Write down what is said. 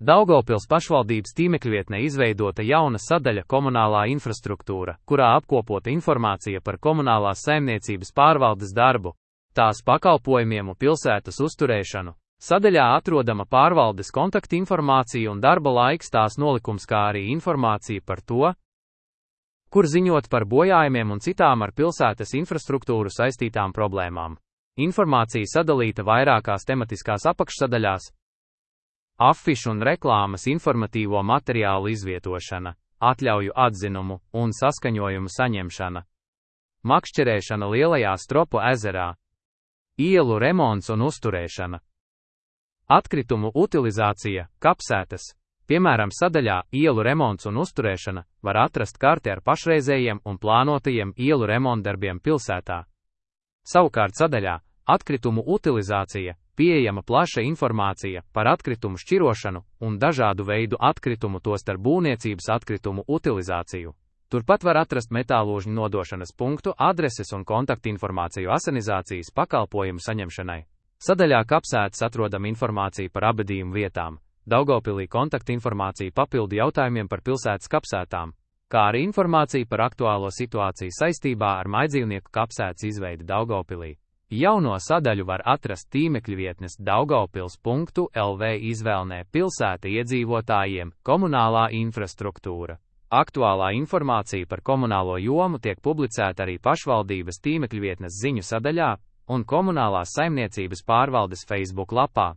Daugavpils pašvaldības tīmekļvietnē izveidota jauna sadaļa komunālā infrastruktūra, kurā apkopota informācija par komunālās saimniecības pārvaldes darbu, tās pakalpojumiem un pilsētas uzturēšanu. Sadaļā atrodama pārvaldes kontaktinformācija un darba laiks tās nolikums, kā arī informācija par to, kur ziņot par bojājumiem un citām ar pilsētas infrastruktūru saistītām problēmām. Informācija sadalīta vairākās tematiskās apakšsadaļās. Afišu un reklāmas informatīvo materiālu izvietošana, atļauju atzinumu un saskaņojumu saņemšana, makšķerēšana Lielajā Stropu ezerā, ielu remonts un uzturēšana, atkritumu utilizācija, kapsētas, piemēram sadaļā ielu remonts un uzturēšana var atrast karti ar pašreizējiem un plānotajiem ielu remontdarbiem pilsētā. Savukārt sadaļā atkritumu utilizācija pieejama plaša informācija par atkritumu šķirošanu un dažādu veidu atkritumu, tostarp būvniecības atkritumu utilizāciju. Turpat var atrast metālūžņu nodošanas punktu, adreses un kontaktinformāciju asanizācijas pakalpojumu saņemšanai. Sadaļā kapsētas atrodam informāciju par abadījumu vietām, Daugavpilī kontaktinformāciju papildu jautājumiem par pilsētas kapsētām, kā arī informācija par aktuālo situāciju saistībā ar mājdzīvnieku kapsētas izveidi Daugavpilī. Jauno sadaļu var atrast tīmekļvietnes daugavpils.lv izvēlnē pilsēta iedzīvotājiem, komunālā infrastruktūra. Aktuālā informācija par komunālo jomu tiek publicēta arī pašvaldības tīmekļvietnes ziņu sadaļā un komunālās saimniecības pārvaldes Facebook lapā.